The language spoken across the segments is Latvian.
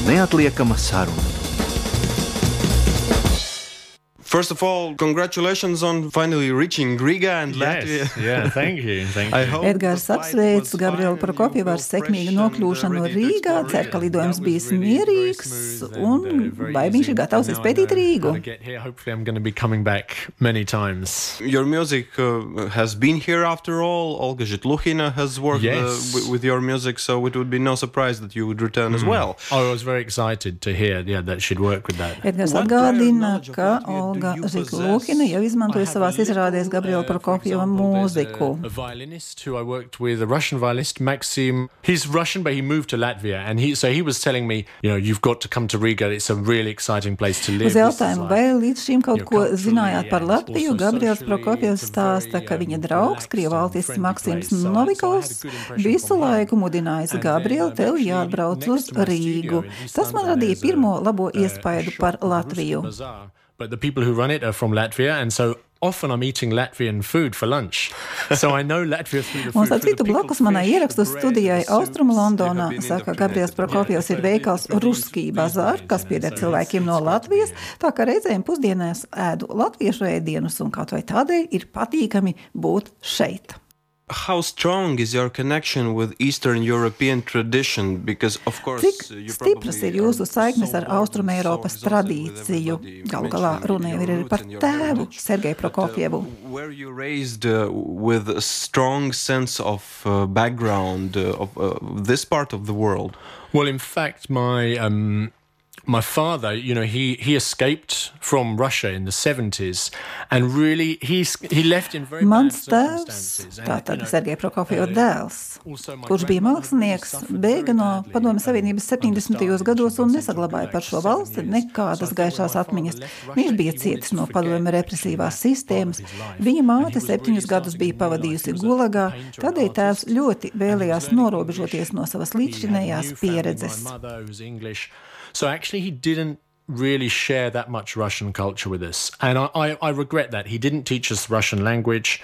Neatliekama saruna. First of all, congratulations on finally reaching Riga and Latvia. Yeah, thank you. Edgars apsveic Gabrielu Prokofjevu ar sekmīgu nokļūšanu Rīgā, cer, ka lidojums bijis mierīgs un vai viņš ir gatavs izpētīt Rīgu. Your music has been here after all. Olga Zhitlukhina has worked with your music, so it would be no surprise that you would return as well. I was very excited to hear that she'd work with that. Edgars atgādina, ka Olga Zhitlukhina jau izmantoja savās izrādēs Gabriela Prokofjeva mūziku. A violinist who I worked with, a Russian violinist, Maxim. He's Russian, but he moved to Latvia, and he was telling me, you've got to come to Riga. It's a really exciting place to live. Uz jautājumu, vai līdz šim kaut ko zinājāt par Latviju, Gabriels Prokofjevs stāsta, ka viņa draugs, krievaltists Maksims Novikovs, visu laiku mudinājis Gabrielu, tev jāatbrauc uz Rīgu. Tas man radīja pirmo labo iespaidu par Latviju. But the people who run it are from Latvia, and so often I'm eating Latvian food for lunch. So I know Latvia through the food. Un starp citu blakus manai ierakstu studijai Austrumu Londonā, saka Gabriels Prokofjevs, ir veikals Ruskij Bazar, kas pieder cilvēkiem no Latvijas, tā ka reizēm pusdienās ēdu latviešu ēdienus, un kaut vai tādēļ ir patīkami būt šeit. How strong is your connection with Eastern European tradition? Because of course, cik stipras ir jūsu saiknes ar Austrumeiropas tradīciju? Galu galā runa jau ir par tēvu Sergeju Prokofjevu. Were you raised with a strong sense of background of this part of the world? Well, in fact, my father, he escaped from Russia in the 70s, and really he left in very bad circumstances. Tātad Sergeja Prokofjeva dēls, kurš bija mākslinieks, bēga no Padomju Savienības 70. gados un nesaglabāja par šo valsti nekādas gaišās atmiņas. Viņš bija cietis no padomju represīvās sistēmas. Viņa māte 7 gadus bija pavadījusi Gulagā, tādēļ tēvs ļoti vēlējās norobežoties no savas līdzšinējās pieredzes. So actually he didn't really share that much Russian culture with us. And I regret that. He didn't teach us Russian language.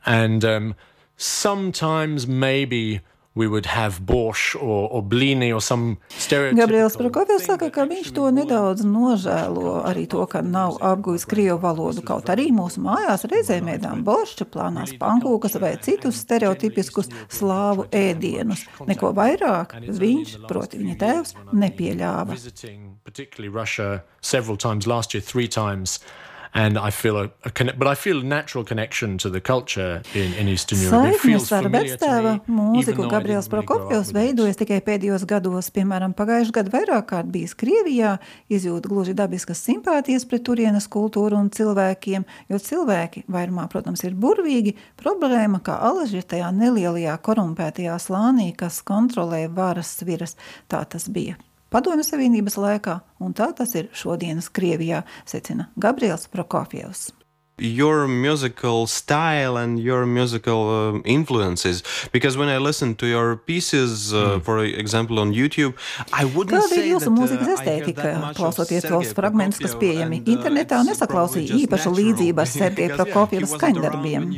And sometimes maybe we would have borscht or blini or some stereotypical... Gabriels Prokofjevs saka, ka viņš to nedaudz nožēlo, arī to, ka nav apgujis krievu valodu, kaut arī mūsu mājās reizēm ēdām boršķa, plānās pankūkas vai citus stereotipiskus slāvu ēdienus. Neko vairāk viņš, proti viņa tēvs, nepieļāva. Particularly Russia several times last year, 3 times. And I feel I feel a natural connection to the culture in Eastern Europe. Saiknes ar vectēva mūziku Gabriels Prokofjevs veidojas tikai pēdējos gados. Piemēram, pagājušajā gadā vairāk kārt bijis Krievijā, izjūt gluži dabiskas simpātijas pret turienes kultūru un cilvēkiem, jo cilvēki vairumā, protams, ir burvīgi. Problēma, kā alaži ir tajā nelielajā korumpētajā slānī, kas kontrolē varas sviras. Tā tas bija Padomju Savienības laikā, un tā tas ir šodienas Krievijā, secina Gabriels Prokofjevs. Your musical style and your musical influences, because when I listen to your pieces, for example on YouTube, I wouldn't say that... Kāda ir jūsu mūzikas estētika? Klausoties tos fragmentus, kas pieejami internetā, nesaklausīja īpašu līdzību ar Sergeja Prokofjeva skaņdarbiem.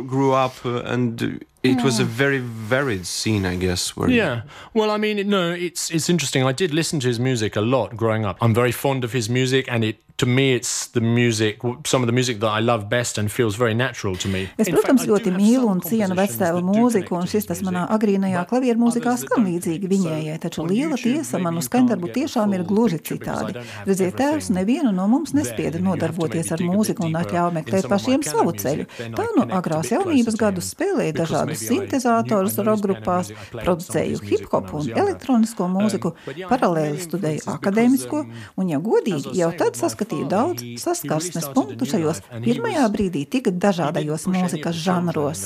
Grew up and it was a very varied scene, I guess. Yeah. Well, I mean, no, it's interesting. I did listen to his music a lot growing up. I'm very fond of his music, and to me, it's the music, some of the music that I love best and feels very natural to me. Es, protams, ļoti mīlu un cienu vectēva mūziku, un šis tas manā agrīnajā klavieru mūzikā skan līdzīgi viņējai, taču liela tiesa manu skaņdarbu tiešām ir gluži citādi. Redziet, tēvs nevienu no mums nespieda nodarboties ar mūziku un atļauj meklēt pašiem savu ceļu. Tā no agrās jaunības gadus spēlēja dažādus sintezātorus rockgrupās, producēju hip-hopu un elektronisko mūziku, paralēli studēju akadēmisko, un, ja godīgi, jau tad saskatīju daudz saskarsmes punktu šajos pirmajā brīdī tik dažādajos mūzikas žanros.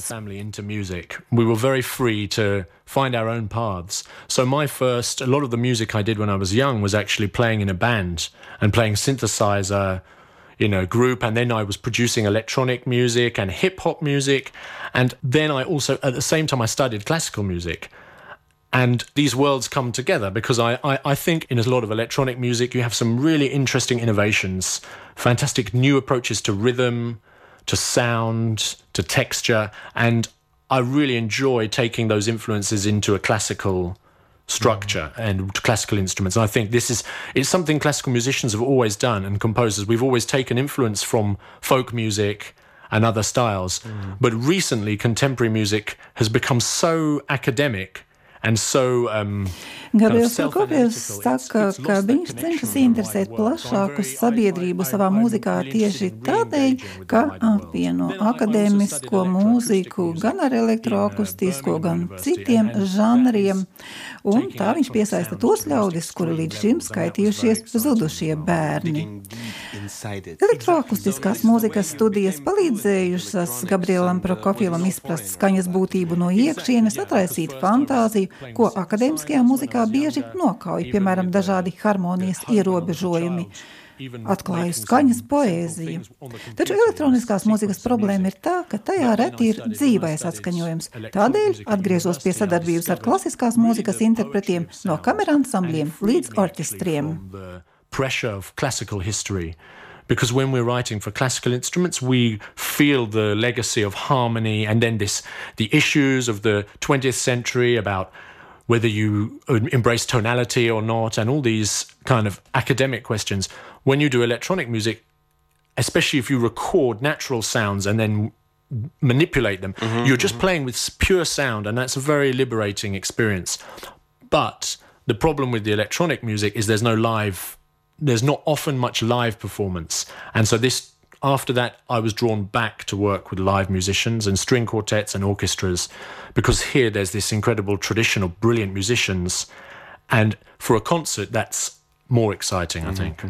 We were very free to find our own paths. So a lot of the music I did when I was young was actually playing in a band and playing synthesizer group, and then I was producing electronic music and hip-hop music, and then I also, at the same time, I studied classical music. And these worlds come together because I think in a lot of electronic music you have some really interesting innovations, fantastic new approaches to rhythm, to sound, to texture, and I really enjoy taking those influences into a classical structure and classical instruments. And I think it's something classical musicians have always done, and composers. We've always taken influence from folk music and other styles. But recently, contemporary music has become so academic and so Gabriels Prokofjevs saka, ka viņš cenšas interesēt plašāku sabiedrību savā mūzikā tieši tādēļ, ka apvieno akadēmisko mūziku gan ar elektroakustisko, gan citiem žanriem, un tā viņš piesaista tos ļaudis, kuri līdz šim skaitījušies zudušie bērni. Elektroakustiskās mūzikas studijas palīdzējušas Gabrielam Prokofjevam izprast skaņas būtību no iekšienes, atraisīt fantāziju, ko akadēmiskajā mūzikā bieži nokauj, piemēram, dažādi harmonijas ierobežojumi, atklāju skaņas poēziju. Taču elektroniskās mūzikas problēma ir tā, ka tajā reti ir dzīvais atskaņojums. Tādēļ atgriezos pie sadarbības ar klasiskās mūzikas interpretiem no kameraansambļiem līdz orķestriem. Pressure of classical history. Because when we're writing for classical instruments, we feel the legacy of harmony and then the issues of the 20th century about whether you embrace tonality or not, and all these kind of academic questions. When you do electronic music, especially if you record natural sounds and then manipulate them, you're just playing with pure sound, and that's a very liberating experience. But the problem with the electronic music is there's not often much live performance. And so after that, I was drawn back to work with live musicians and string quartets and orchestras, because here there's this incredible tradition of brilliant musicians. And for a concert, that's more exciting, I think.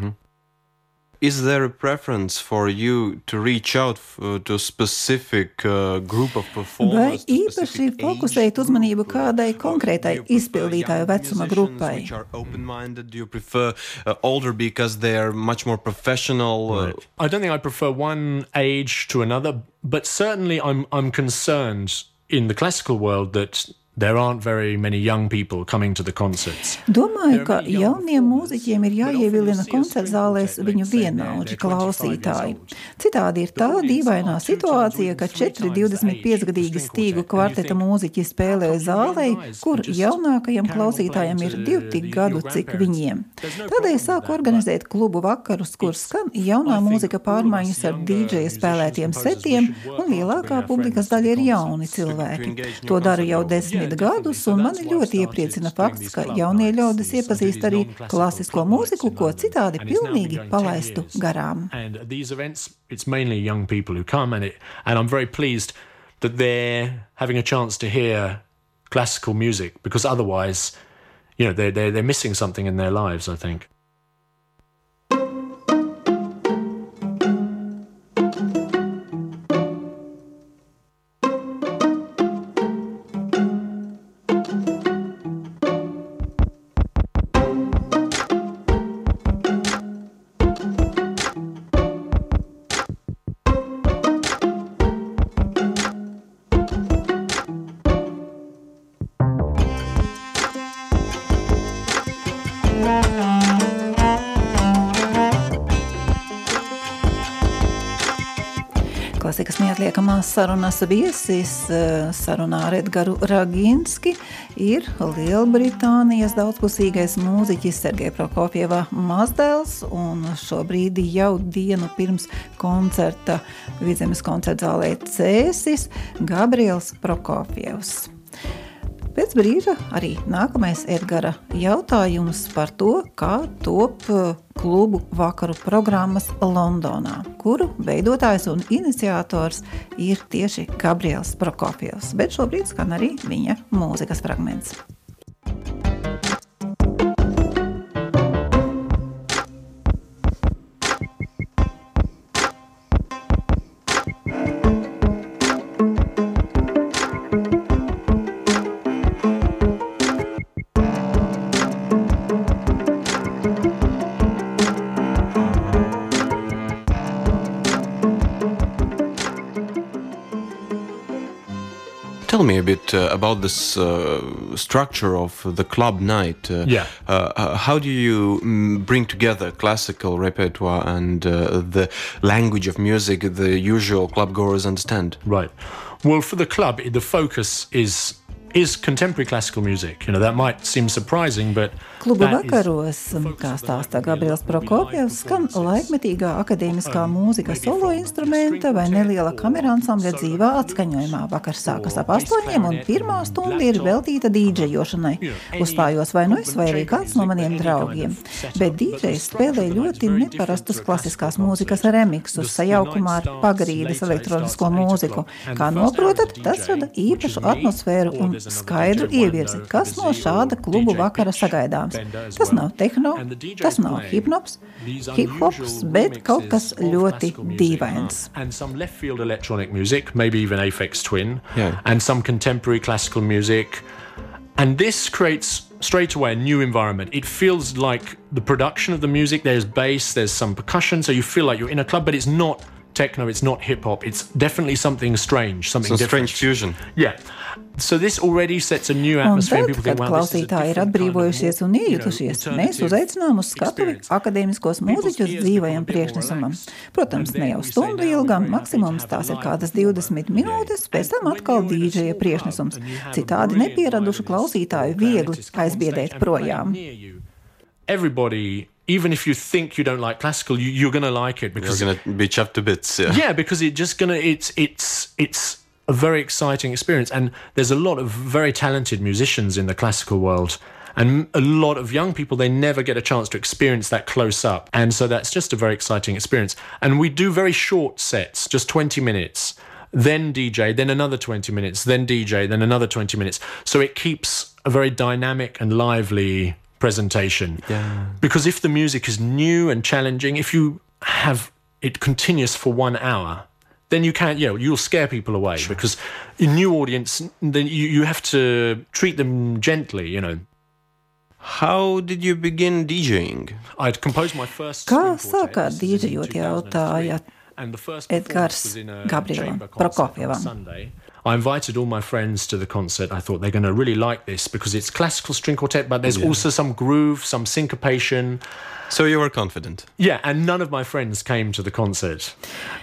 Is there a preference for you to reach out to a specific group of performers? Vai īpaši fokusēt uzmanību kādai konkrētai izpildītāju vecuma grupai? Which are open-minded? Do you prefer older because they are much more professional? Right. I don't think I prefer one age to another, but certainly I'm concerned in the classical world that there aren't very many young people coming to the concerts. Domāju, ka jauniem mūziķiem ir jāievilina koncertzālēs viņu vienaudži klausītāji. Citādi ir tā dīvainā situācija, ka 4 25-gadīgi stīgu kvarteta mūziķi spēlē zālē, kur jaunākajam klausītājam ir 2 tik gadu, cik viņiem. Tādēļ sāku organizēt klubu vakarus, kur skan jaunā mūzika pārmaiņas ar DJ spēlētiem setiem, un lielākā publikas daļa ir jauni cilvēki. To daru jau 10 gadus, un mani ļoti iepriecina fakts, ka jaunie ļaudis iepazīst arī klasisko mūziku, ko citādi pilnīgi palaistu garām. And these events, it's mainly young people who come, and I'm very pleased that they're having a chance to hear classical music, because otherwise, they're missing something in their lives, I think. Klasikas neatliekamās sarunas viesis sarunā ar Edgaru Raginski ir Lielbritānijas daudzpusīgais mūziķis Sergeja Prokofjeva mazdēls, un šobrīd jau dienu pirms koncerta Vidzemes koncertzālē Cēsis Gabriels Prokofjevs. Pēc brīža arī nākamais Edgara jautājums par to, kā top klubu vakaru programmas Londonā, kuru veidotājs un iniciators ir tieši Gabriels Prokofjevs, bet šobrīd skan arī viņa mūzikas fragments. Tell me a bit about this structure of the club night. How do you bring together classical repertoire and the language of music the usual club goers understand? Right. Well, for the club, the focus is is contemporary classical music. That might seem surprising, but Klubu vakaros, kā stāstā Gabriels Prokofjevs, skan laikmetīgā akadēmiskā mūzika solo instrumenta vai neliela kameransambļa dzīvā atskaņojumā. Vakars sākas ap 8 un pirmā stunda ir veltīta dīdžejošanai. Uzstājos vai nu es, vai arī kāds no maniem draugiem. Bet dīdžejs spēlē ļoti neparastus klasiskās mūzikas remiksus sajaukumā ar pagrīdes elektronisko mūziku. Kā noprotat, tas rada īpašu atmosfēru un skaidru ievirzi, kas no šāda klubu vakara sagaidāms. Tas nav tehno, tas nav hip-hops, bet kaut kas ļoti dīvains. And some left-field electronic music, maybe even Aphex Twin, and some contemporary classical music. And this creates straight away a new environment. It feels like the production of the music, there's bass, there's some percussion, so you feel like you're in a club, but it's not techno, it's not hip-hop, it's definitely something strange, something different. Strange fusion. Yeah. So this already sets a new atmosphere. Un tad, kad klausītāji ir atbrīvojušies un iejutušies, mēs uzaicinām uz skatuvi akadēmiskos mūziķus dzīvajam priekšnesumam. Protams, ne jau stundu ilgam, maksimums tās ir kādas 20 minūtes, pēc tam atkal dīdžeja priekšnesums. Citādi nepieradušu klausītāju viegli aizbiedēt projām. Everybody, even if you think you don't like classical, you're going to like it because you're going to be chopped to bits. Yeah, because it's a very exciting experience, and there's a lot of very talented musicians in the classical world, and a lot of young people, they never get a chance to experience that close up, and so that's just a very exciting experience. And we do very short sets, just 20 minutes, then DJ, then another 20 minutes, then DJ, then another 20 minutes, so it keeps a very dynamic and lively presentation. Because if the music is new and challenging, if you have it continuous for 1 hour, then you can't, you'll scare people away. Sure. Because a new audience, then you have to treat them gently, How did you begin DJing? I'd composed my first Kā sākāt dīdžejot, jautāja Edgars Gabrielam Prokofjevam. I invited all my friends to the concert. I thought they're going to really like this because it's classical string quartet, but there's also some groove, some syncopation. So you were confident? Yeah, and none of my friends came to the concert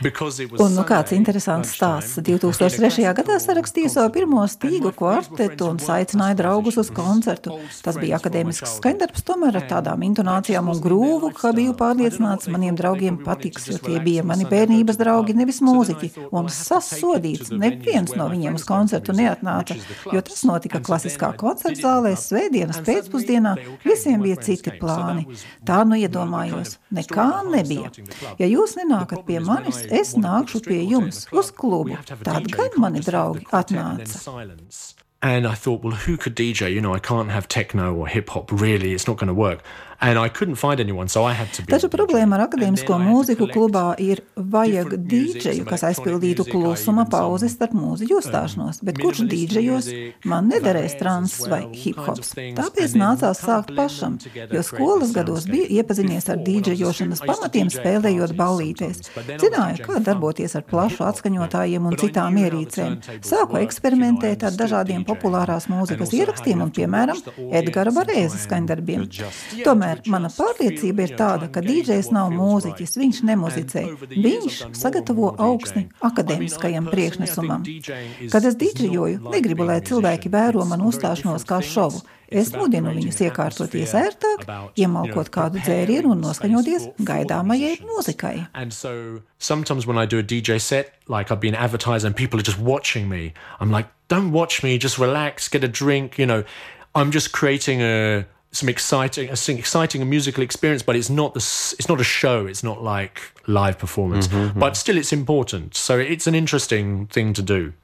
because it was Un kāds interesants stāsts. 2003. gadā sarakstīju savu pirmo stīgu kvartetu un saicināju draugus uz koncertu. Tas bija akadēmisks skaņdarbs, tomēr ar tādām intonācijām un grūvu, ka biju pārliecināts, maniem draugiem patiks, jo tie bija mani bērnības draugi, nevis mūziķi. Un sasodīts, neviens no viņiem uz koncertu neatnāca, jo tas notika klasiskā koncertzālē svētdienas pēcpusdienā, visiem bija citi plāni. Tā iedomājos, nekā nebija. Ja jūs nenākat pie manis, es nākšu pie jums uz klubu. Tad gan mani draugi atnāca. And I thought, well, who could DJ? I can't have techno or hip-hop, really, it's not going to work. And I couldn't find anyone, so I had to be... Taču problēma ar akadēmisko mūziku klubā ir vajag dīdžeju, kas aizpildītu klusuma pauzes starp mūziķu uzstāšanos, bet kurš dīdžejos, man nederēs trans vai hip-hops. Tāpēc nācās sākt pašam, jo skolas gados biju iepazinies ar dīdžejošanas pamatiem spēlējot ballītēs. Zināju, kā darboties ar plašu atskaņotājiem un citām ierīcēm. Sāku eksperimentēt ar dažādiem populārās mūzikas ierakstiem un, piemēram, Edgara Varēza skaņdarbiem. Tomēr mana pārliecība ir tāda, ka dīdžejs nav mūziķis, viņš nemuzicē. Viņš sagatavo augsni akadēmiskajam priekšnesumam. Kad es dīdžejoju, negribu, lai cilvēki vēro manu uzstāšanos kā šovu. Es mudinu viņus iekārtoties ērtāk, iemalkot kādu dzērienu un noskaņoties gaidāmajai mūzikai. And so sometimes when I do a DJ set, like I've been advertised and people are just watching me, I'm like, don't watch me, just relax, get a drink, I'm just creating some exciting musical experience, but it's not a show, it's not like live performance, but still it's important, so it's an interesting thing to do.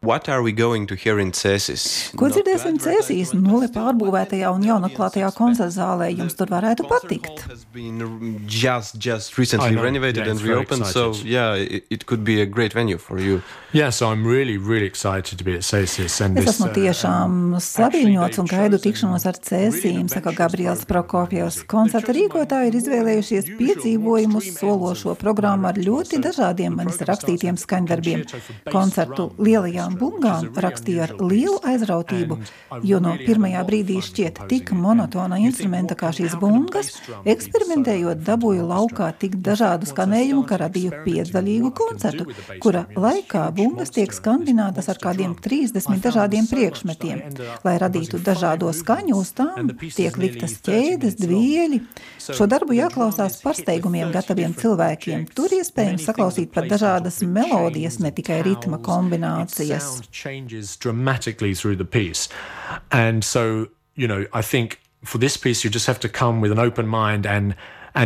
What are we going to hear in Cēsis? Ko dzirdēsim Cēsīs nulli pārbūvētajā un jaunaklātajā koncertzālē? Jums tur varētu patikt. Has been just recently renovated and reopened, so it could be a great venue for you. Yeah, so I'm really, really excited to be at Cēsis. Es esmu tiešām saviņots un gaidu tikšanos ar Cēsīm, saka Gabriels Prokofjevs. Koncerta rīkotāji ir izvēlējušies piedzīvojumus sološo programmu ar ļoti dažādiem manis rakstītiem skaņdarbiem. Koncertu lielajā laikmetiskajām bungām rakstīja ar lielu aizrautību, jo no pirmajā brīdī šķiet tik monotona instrumenta kā šīs bungas, eksperimentējot dabūju laukā tik dažādu skanējumu, ka radīju 5-daļīgu koncertu, kura laikā bungas tiek skandinātas ar kādiem 30 dažādiem priekšmetiem. Lai radītu dažādo skaņu, uz tām tiek liktas ķēdes, dvieļi. Šo darbu jāklausās pārsteigumiem gataviem cilvēkiem. Tur iespējams saklausīt pat dažādas melodijas, ne tikai ritma kombinācijas. And so, I think for this piece you just have to come with an open mind and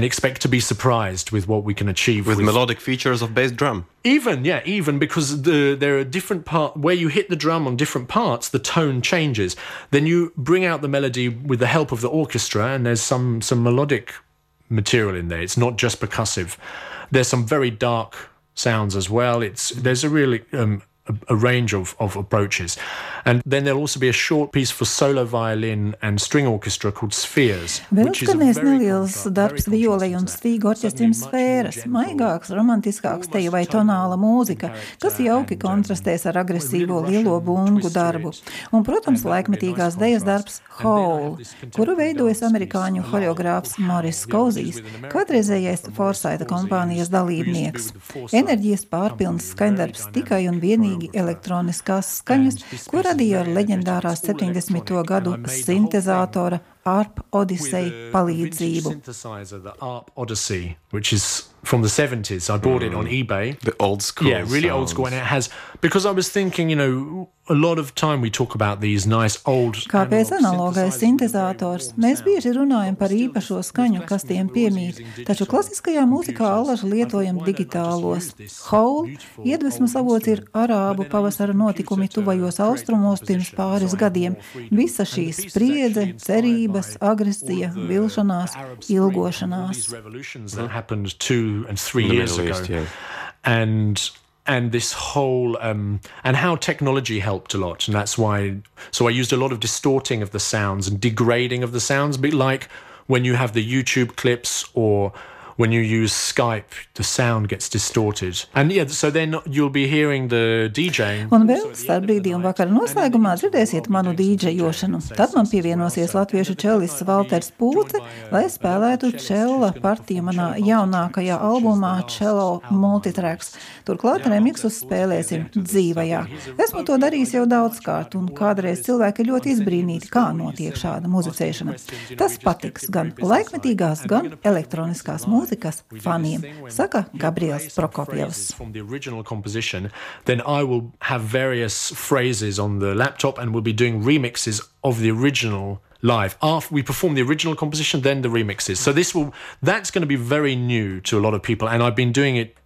expect to be surprised with what we can achieve with melodic features of bass drum. Even because there are different parts where you hit the drum on different parts, the tone changes. Then you bring out the melody with the help of the orchestra, and there's some melodic material in there. It's not just percussive. There's some very dark sounds as well. There's a really a range of approaches. And then there'll also be a short piece for solo violin and string orchestra called Spheres. Vēl skanēs neliels darbs violei un stīgu orķestrim Sfēras, maigāks, romantiskāks teju vai tonāla mūzika, kas jauki kontrastēs ar agresīvo lielo bungu darbu. Un, protams, laikmetīgās dejas darbs Howl, kuru veidojas amerikāņu horeogrāfs Morris Cousins, kādreizējais Forsytha kompānijas dalībnieks. Enerģijas pārpilns skaņdarbs tikai un vienīgi elektroniskās skaņas, ko radīja ar leģendārās 70. gadu sintezātora ARP Odyssey palīdzību. The ARP Odyssey, which is from the 70s. I bought it on eBay. The old school. Yeah, really old school. And it has, because I was thinking, a lot of time we talk about these nice old... Kāpēc analogais sintezators? Mēs bieži runājam par īpašo skaņu, kas tiem piemīt, taču klasiskajā mūzikā alaži lietojam digitālos. Howl iedvesmas avots ir arābu pavasara notikumi tuvajos austrumos pirms pāris gadiem. Visa šī spriedze, cerības, agresija, vilšanās, ilgošanās. That happened 2 and 3 years ago. Yeah. And this whole and how technology helped a lot, and that's why. So I used a lot of distorting of the sounds and degrading of the sounds, a bit like when you have the YouTube clips or when you use Skype, the sound gets distorted. And so then you'll be hearing the DJing. Un vēl starp brīdī un vakara noslēgumā dzirdēsiet manu dīdžejošanu. Tad man pievienosies latviešu čelists Valters Pūce, lai spēlētu čella partiju manā jaunākajā albumā Cello Multitracks. Turklāt remiksus spēlēsim dzīvajā. Esmu to darījis jau daudzkārt, un kādreiz cilvēki ļoti izbrīnīti, kā notiek šāda muzicēšana. Tas patiks gan laikmetīgās, gan elektroniskās mūzikas faniem, saka Gabriels Prokofjevs. From the original composition, then I will have various phrases on the laptop and we'll be doing remixes of the original live. After we perform the original composition, then the remixes. So that's going to be very new to a lot of people, and I've been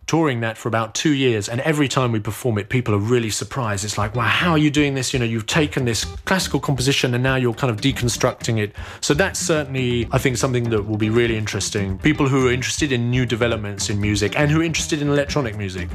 touring that for about 2 years, and every time we perform it, people are really surprised. It's like, wow, how are you doing this? You've taken this classical composition and now you're kind of deconstructing it. So that's certainly, I think, something that will be really interesting. People who are interested in new developments in music and who are interested in electronic music.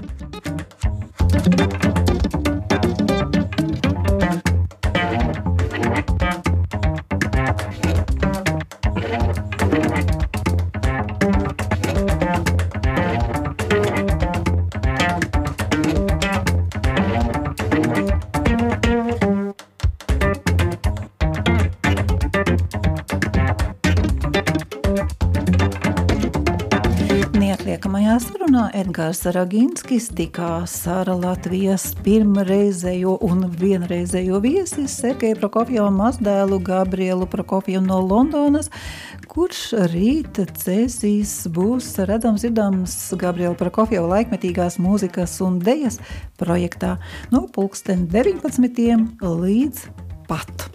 Neatliekamajā sarunā Edgars Raginskis tikās ar Latvijas pirmreizējo un vienreizējo viesi Sergeju Prokofjevu mazdēlu Gabrielu Prokofjevu no Londonas, kurš rīt cēsīs būs redzams dzirdams Gabriela Prokofjeva laikmetīgās mūzikas un dejas projektā no 19 līdz pat.